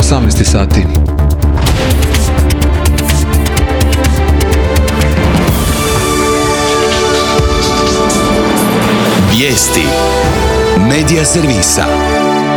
18 sati. Vijesti Medija servisa.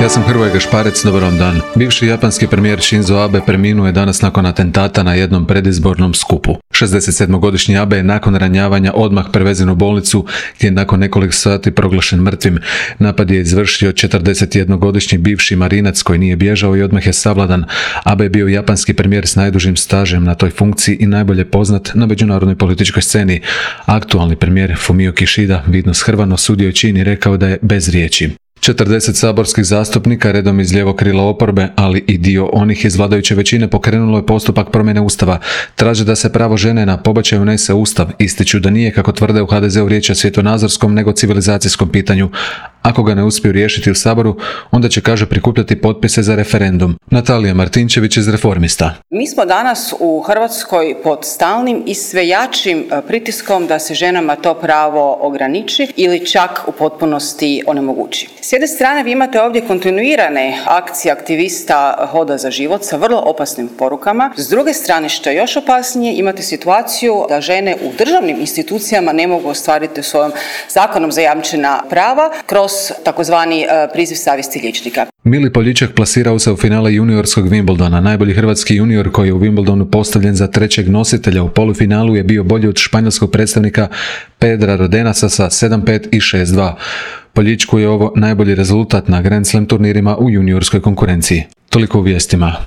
Ja sam Hrvoje Gašparec, dobar vam dan. Bivši japanski premijer Shinzo Abe preminuo je danas nakon atentata na jednom predizbornom skupu. 67-godišnji Abe je nakon ranjavanja odmah prevezen u bolnicu gdje je nakon nekoliko sati proglašen mrtvim. Napad je izvršio 41-godišnji bivši marinac koji nije bježao i odmah je savladan. Abe je bio japanski premijer s najdužim stažem na toj funkciji i najbolje poznat na međunarodnoj političkoj sceni. Aktualni premijer Fumio Kishida vidno shrvano osudio je čin i rekao da je bez riječi. 40 saborskih zastupnika, redom iz lijevog krila oporbe, ali i dio onih iz vladajuće većine, pokrenulo je postupak promjene Ustava. Traže da se pravo žene na pobačaj unese u Ustav. Ističu da nije, kako tvrde u HDZ-u, riječ o svjetonazorskom nego civilizacijskom pitanju. Ako ga ne uspiju riješiti u Saboru, onda će, kaže, prikupljati potpise za referendum. Natalija Martinčević iz Reformista. Mi smo danas u Hrvatskoj pod stalnim i sve jačim pritiskom da se ženama to pravo ograniči ili čak u potpunosti onemogući. S jedne strane vi imate ovdje kontinuirane akcije aktivista Hoda za život sa vrlo opasnim porukama. S druge strane, što je još opasnije, imate situaciju da žene u državnim institucijama ne mogu ostvariti svojom zakonom zajamčena prava kroz takozvani priziv savjesti liječnika. Mili Poljičak plasirao se u finale juniorskog Wimbledona. Najbolji hrvatski junior koji je u Wimbledonu postavljen za trećeg nositelja u polufinalu je bio bolji od španjolskog predstavnika Pedra Rodenasa sa 7-5 i 6-2. Poljičku je ovo najbolji rezultat na Grand Slam turnirima u juniorskoj konkurenciji. Toliko u vijestima.